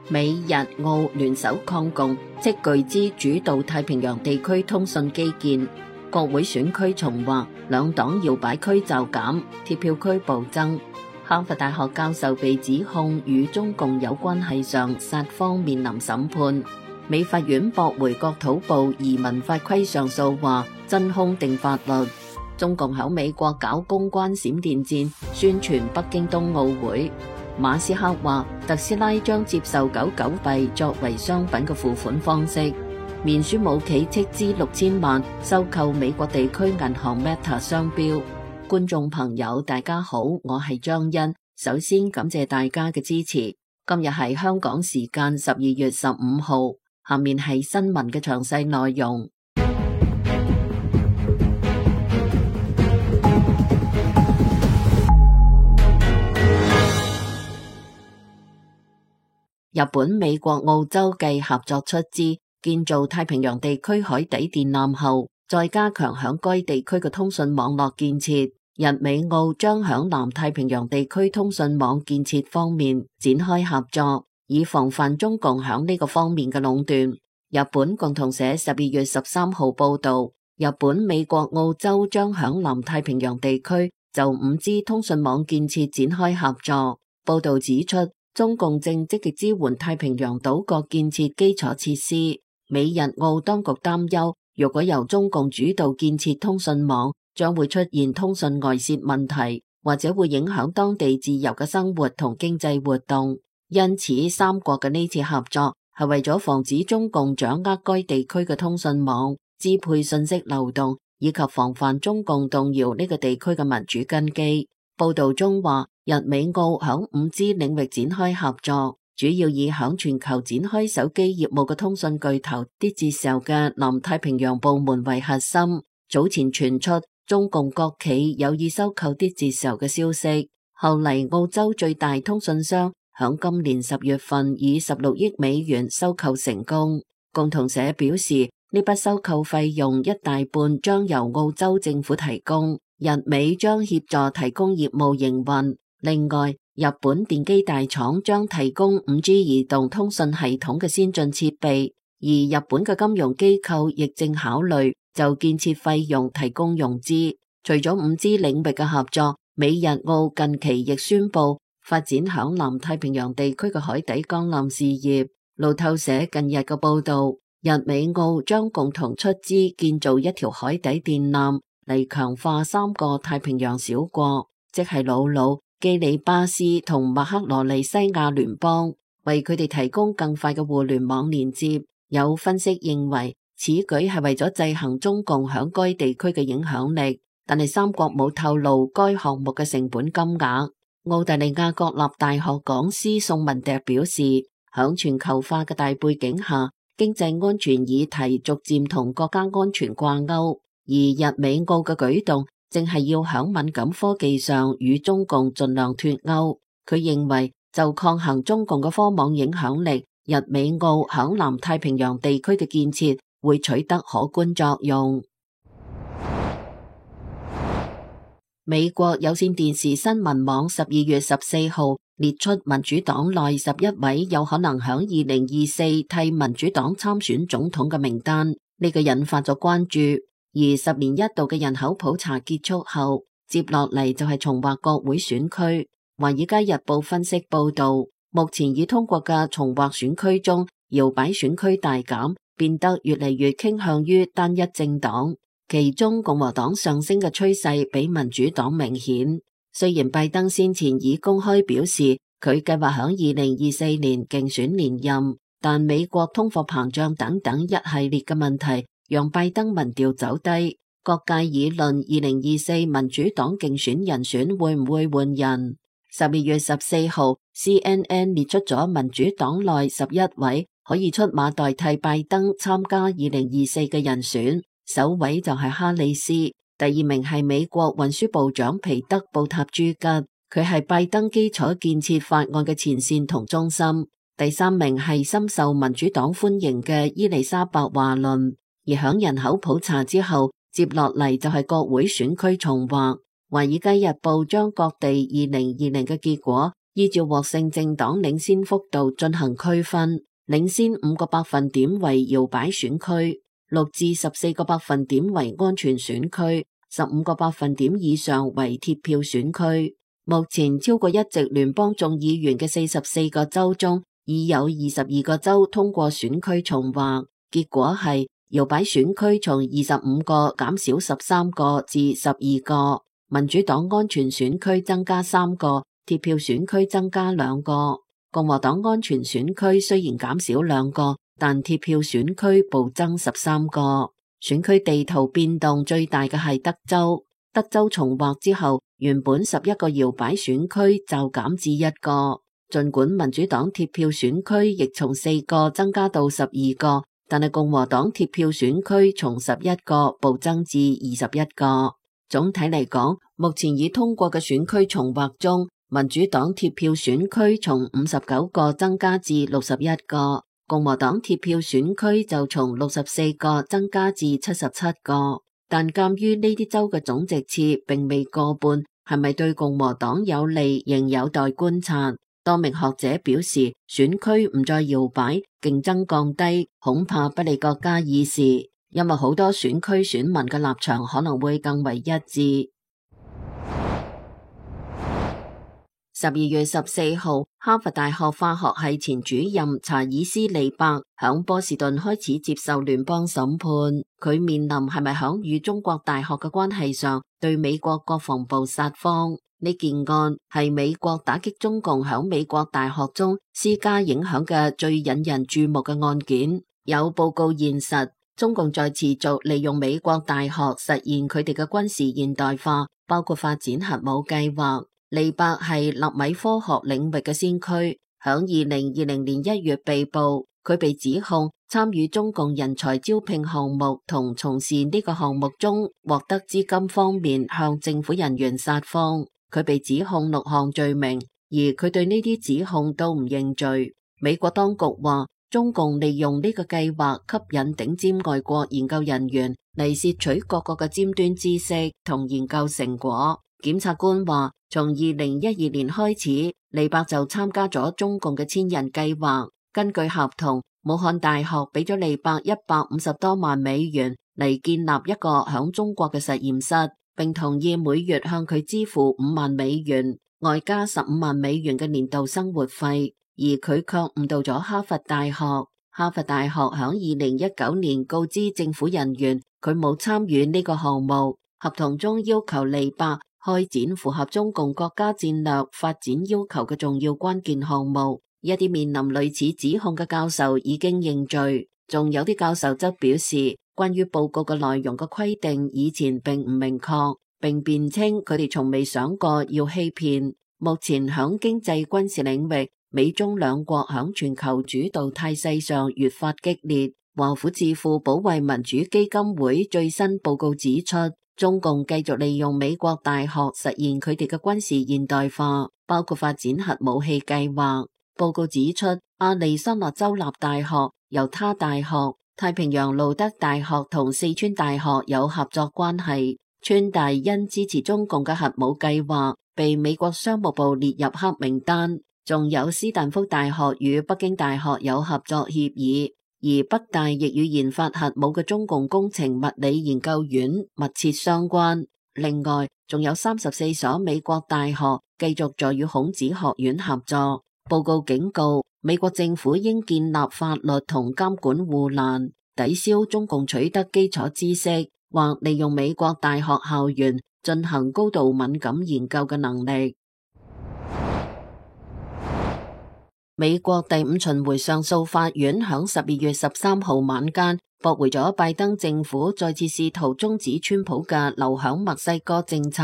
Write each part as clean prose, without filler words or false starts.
美日澳聯手抗共，斥巨資主導太平洋地區通訊基建。國會選區重劃，兩黨搖擺區就減，鐵票區暴增。哈佛大學教授被指控與中共有關係上，殺方面臨審判。美法院駁回國土部移民法規上訴，話真空定法律。中共喺美國搞公關閃電戰，宣傳北京冬奧會。馬斯克話特斯拉將接受狗狗幣作為商品嘅付款方式。面書母企斥資6000萬收購美國地區銀行 Meta 商標。觀眾朋友大家好，我係張欣，首先感謝大家嘅支持。今日係香港時間12月15號，下面係新聞嘅詳細內容。日本、美國、澳洲繼合作出資建造太平洋地區海底電纜後，再加強響該地區嘅通訊網絡建設。日美澳將響南太平洋地區通訊網建設方面展開合作，以防範中共響呢個方面嘅壟斷。日本共同社12月13號報道，日本、美國、澳洲將響南太平洋地區就 5G 通訊網建設展開合作。報道指出，中共正積極支援太平洋島國建設基礎設施。美日澳當局擔憂，如果由中共主導建設通訊網，將會出現通訊外泄問題，或者會影響當地自由嘅生活同經濟活動。因此，三國嘅呢次合作係為咗防止中共掌握該地區嘅通訊網，支配信息流動，以及防範中共動搖呢個地區嘅民主根基。報道中話，日美澳響 5G 領域展開合作，主要以響全球展開手機業務嘅通訊巨頭 Digicel 嘅南太平洋部門為核心。早前傳出中共國企有意收購 Digicel 嘅消息，後嚟澳洲最大通訊商響今年10月份以16億美元收購成功。共同社表示，呢筆收購費用一大半將由澳洲政府提供，日美將協助提供業務營運。另外，日本電機大廠將提供 5G 移動通訊系統嘅先進設備，而日本嘅金融機構亦正考慮就建設費用提供融資。除咗 5G 領域嘅合作，美日澳近期亦宣布發展響南太平洋地區嘅海底鋼纜事業。路透社近日嘅報道，日美澳將共同出資建造一條海底電纜嚟強化三個太平洋小國，即係瑙魯、基里巴斯同麥克羅尼西亞聯邦，為佢哋提供更快嘅互聯網連接。有分析認為，此舉係為咗制衡中共響該地區嘅影響力，但係三國冇透露該項目嘅成本金額。澳大利亞國立大學講師宋文迪表示，響全球化嘅大背景下，經濟安全議題逐漸同國家安全掛鈎，而日美澳嘅舉動正係要響敏感科技上與中共盡量脫鈎。佢認為就抗衡中共嘅科網影響力，日美澳響南太平洋地區嘅建設會取得可觀作用。美國有線電視新聞網12月14號列出民主黨內11位有可能響2024替民主黨參選總統嘅名單，呢個引發咗關注。而10年一度嘅人口普查結束後，接落嚟就係重劃國會選區。華爾街日報分析報道，目前已通過嘅重劃選區中，搖擺選區大減，變得越嚟越傾向於單一政黨。其中共和黨上升嘅趨勢比民主黨明顯。雖然拜登先前已公開表示佢計劃響2024年競選連任，但美國通貨膨脹等等一系列嘅問題讓拜登民調走低。各界議論2024民主黨競選人選會唔會換人。12月14號 CNN 列出咗民主黨內11位可以出馬代替拜登參加2024嘅人選。首位就係哈里斯，第二名係美國運輸部長皮德布塔朱吉，佢係拜登基礎建設法案嘅前線同中心。第三名係深受民主黨歡迎嘅伊麗莎白華倫。而響人口普查之後，接落嚟就係國會選區重劃。華爾街日報將各地2020嘅結果依照獲勝政黨領先幅度進行區分，領先5個百分點為搖擺選區，6至14個百分點為安全選區，15個百分點以上為鐵票選區。目前超過一席聯邦眾議員嘅44個州中，已有22個州通過選區重劃，結果係搖擺選區從25個減少13個至12個，民主黨安全選區增加3個，鐵票選區增加2個。共和黨安全選區雖然減少2個，但鐵票選區暴增13個。選區地圖變動最大嘅係德州，德州重劃之後，原本11個搖擺選區就減至1個。儘管民主黨鐵票選區亦從4個增加到12個，但係共和黨鐵票選區從11個暴增至21個。總體嚟講，目前已通過嘅選區重劃中，民主黨鐵票選區從59個增加至61個，共和黨鐵票選區就從64個增加至77個。但鑒於呢啲州嘅總席次並未過半，係咪對共和黨有利仍有待觀察。多名學者表示，選區唔再搖擺，競爭降低，恐怕不利國家議事，因為好多選區選民嘅立場可能會更為一致。12月14號，哈佛大學化學系前主任查爾斯·利伯響波士頓開始接受聯邦審判，佢面臨係咪響與中國大學嘅關係上對美國國防部撒謊。呢件案係美國打擊中共響美國大學中施加影響嘅最引人注目嘅案件。有報告現實，中共在持續利用美國大學實現佢哋嘅軍事現代化，包括發展核武計劃。利伯係納米科學領域嘅先驅，響2020年1月被捕，佢被指控參與中共人才招聘項目同從事呢個項目中獲得資金方面向政府人員撒謊。佢被指控6項罪名，而佢對呢啲指控都唔認罪。美國當局話，中共利用呢個計劃吸引頂尖外國研究人員嚟竊取各國嘅尖端知識同研究成果。檢察官話，從2012年開始，利伯就參加咗中共嘅千人計劃。根據合同，武漢大學俾咗利伯150多萬美元嚟建立一個響中國嘅實驗室，並同意每月向佢支付5萬美元，外加15萬美元嘅年度生活費，而佢卻誤導咗哈佛大學。哈佛大學響2019年告知政府人員，佢冇參與呢個項目。合同中要求利伯開展符合中共國家戰略發展要求嘅重要關鍵項目。一啲面臨類似指控嘅教授已經認罪，仲有啲教授則表示，關於報告嘅內容嘅規定以前並唔明確，並辯稱佢哋從未想過要欺騙。目前響經濟軍事領域，美中兩國響全球主導態勢上越發激烈。華府智庫保衛民主基金會最新報告指出，中共繼續利用美國大學實現佢哋嘅軍事現代化，包括發展核武器計劃。報告指出，亞利桑那州立大學、猶他大學、太平洋路德大學同四川大學有合作關係。川大因支持中共嘅核武計劃，被美國商務部列入黑名單。仲有斯坦福大學與北京大學有合作協議，而北大亦與研發核武嘅中共工程物理研究院密切相關。另外，仲有34所美國大學繼續在與孔子學院合作。報告警告，美國政府應建立法律同監管護欄，抵消中共取得基礎知識或利用美國大學校園進行高度敏感研究嘅能力。美國第5巡迴上訴法院響12月13號晚間駁回咗拜登政府再次試圖終止川普嘅留響墨西哥政策。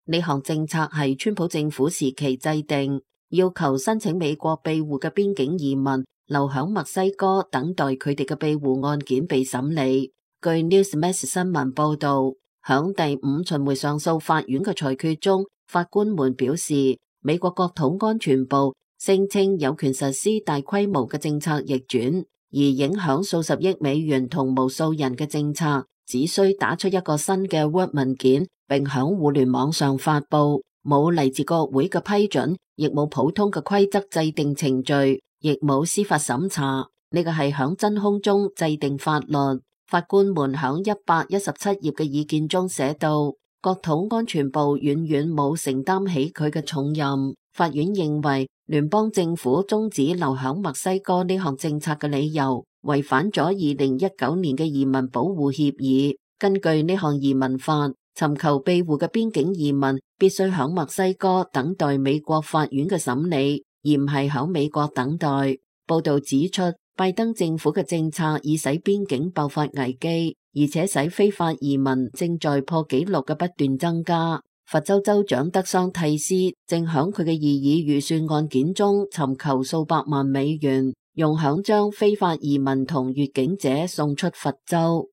呢項政策係川普政府時期制定，要求申請美國庇護嘅邊境移民留響墨西哥等待佢哋嘅庇護案件被審理。據 Newsmax 新聞報道，響第5巡迴上訴法院嘅裁決中，法官們表示，美國國土安全部聲稱有權實施大規模嘅政策逆轉，而影響數十億美元同無數人嘅政策，只需打出一個新嘅 Word 文件，並響互聯網上發佈。冇嚟自國會嘅批准，亦冇普通嘅規則制定程序，亦冇司法審查。呢個係響真空中制定法律。法官們響117頁嘅意見中寫道，國土安全部遠遠冇承擔起佢嘅重任。法院認為聯邦政府終止留響墨西哥呢項政策嘅理由，違反咗2019年嘅移民保護協議。根據呢項移民法，尋求庇護嘅邊境移民必須響墨西哥等待美國法院嘅審理，而唔係響美國等待。報道指出，拜登政府嘅政策已使邊境爆發危機，而且使非法移民正在破紀錄嘅不斷增加。佛州州長德桑蒂斯正響佢嘅異議預算案件中尋求數百萬美元，用響將非法移民同越境者送出佛州。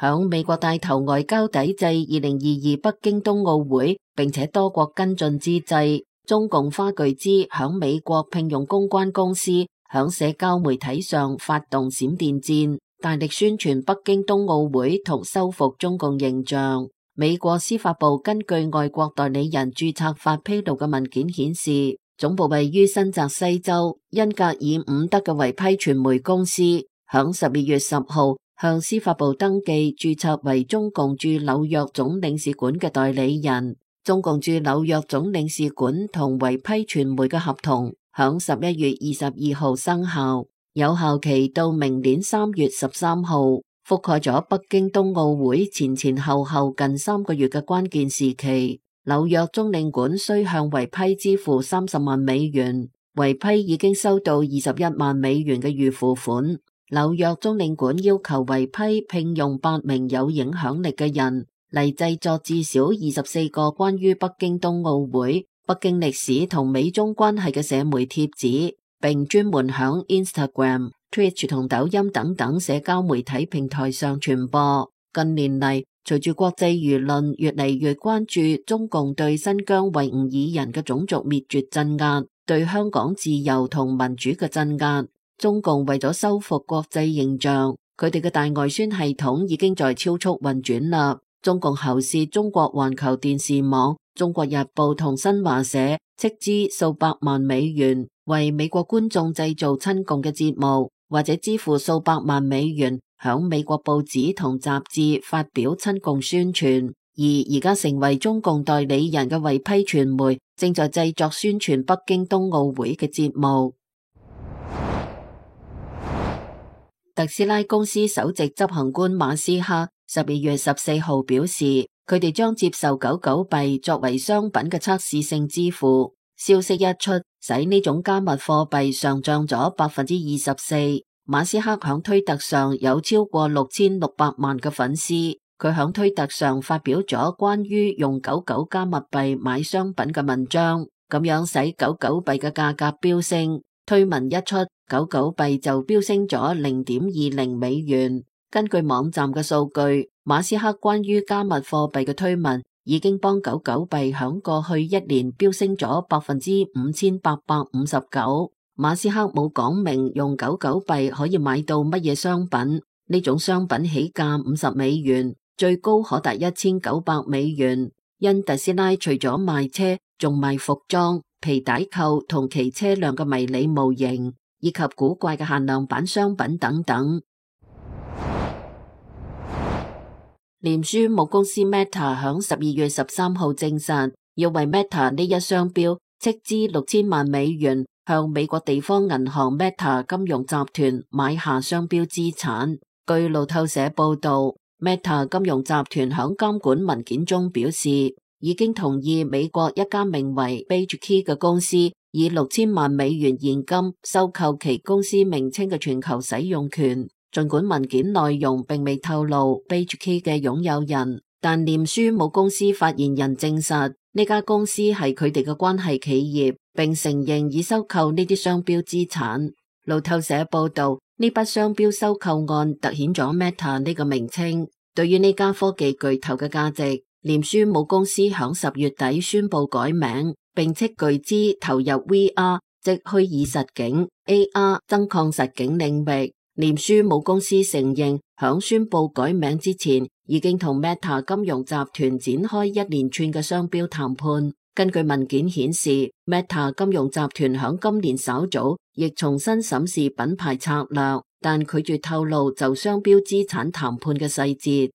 響美國帶頭外交抵制2022北京冬奧會，並且多國跟進之際，中共花巨資響美國聘用公關公司，響社交媒體上發動閃電戰，大力宣傳北京冬奧會同修復中共形象。美國司法部根據外國代理人註冊法披露嘅文件顯示，總部位於新澤西州恩格爾伍德嘅違批傳媒公司，響12月10號向司法部登記註冊為中共駐紐約總領事館嘅代理人。中共駐紐約總領事館同違批傳媒嘅合同響11月22號生效，有效期到明年3月13號，覆蓋咗北京冬奧會前前後後近3個月嘅關鍵時期。紐約總領館需向違批支付30萬美元，違批已經收到21萬美元嘅預付款。紐約總領館要求違批聘用8名有影響力嘅人嚟製作至少24個關於北京冬奧會、北京歷史同美中關係嘅社媒貼紙，並專門響 Instagram、Twitch 同抖音等等社交媒體平台上傳播。近年嚟，隨住國際輿論越嚟越關注中共對新疆維吾爾人嘅種族滅絕鎮壓，對香港自由同民主嘅鎮壓，中共為咗修復國際形象，佢哋嘅大外宣系統已經在超速運轉啦。中共喉舌中國環球電視網、中國日報同新華社斥資數百萬美元為美國觀眾製造親共嘅節目，或者支付數百萬美元響美國報紙同雜誌發表親共宣傳。而家成為中共代理人嘅違批傳媒正在製作宣傳北京冬奧會嘅節目。特斯拉公司首席執行官馬斯克12月14號表示，佢哋將接受狗狗幣作為商品嘅測試性支付。消息一出，使呢種加密貨幣上漲咗24%。馬斯克響推特上有超過6600萬嘅粉絲，佢響推特上發表咗關於用狗狗加密幣買商品嘅文章，咁樣使狗狗幣嘅價格飆升。推文一出，狗狗幣就飆升咗0.20美元。根據網站嘅數據，馬斯克關於加密貨幣嘅推文已經幫狗狗幣響過去一年飆升咗5859%。馬斯克冇講明用狗狗幣可以買到乜嘢商品，呢種商品起價50美元，最高可達1900美元。因特斯拉除咗賣車，仲賣服裝、皮帶扣同其車輛嘅迷你模型，以及古怪嘅限量版商品等等。臉書母公司 Meta 響12月13號證實，要為 Meta 呢一商標斥資6000萬美元，向美國地方銀行 Meta 金融集團買下商標資產。據路透社報道， Meta 金融集團響監管文件中表示，已經同意美國一家名為 BageKey 嘅公司以6000萬美元現金收購其公司名稱嘅全球使用權。儘管文件內容並未透露 BageKey 嘅擁有人，但臉書母公司發言人證實呢家公司係佢哋嘅關係企業，並承認已收購呢啲商標資產。路透社報道，呢筆商標收購案凸顯咗 Meta 呢個名稱對於呢家科技巨頭嘅價值。臉書母公司響10月底宣布改名，並斥巨資投入 VR 即虛擬實境、AR 增擴實境領域。臉書母公司承認響宣布改名之前已經同 Meta 金融集團展開一連串嘅商標談判。根據文件顯示， Meta 金融集團響今年稍早亦重新審視品牌策略，但拒絕透露就商標資產談判嘅細節。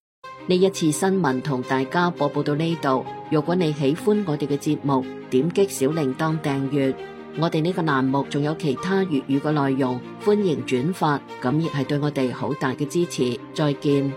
呢一次新聞同大家播報到呢度。如果你喜歡我哋嘅節目，點擊小鈴鐺訂閱。我哋呢個欄目仲有其他粵語嘅內容，歡迎轉發，咁亦係對我哋好大嘅支持。再見。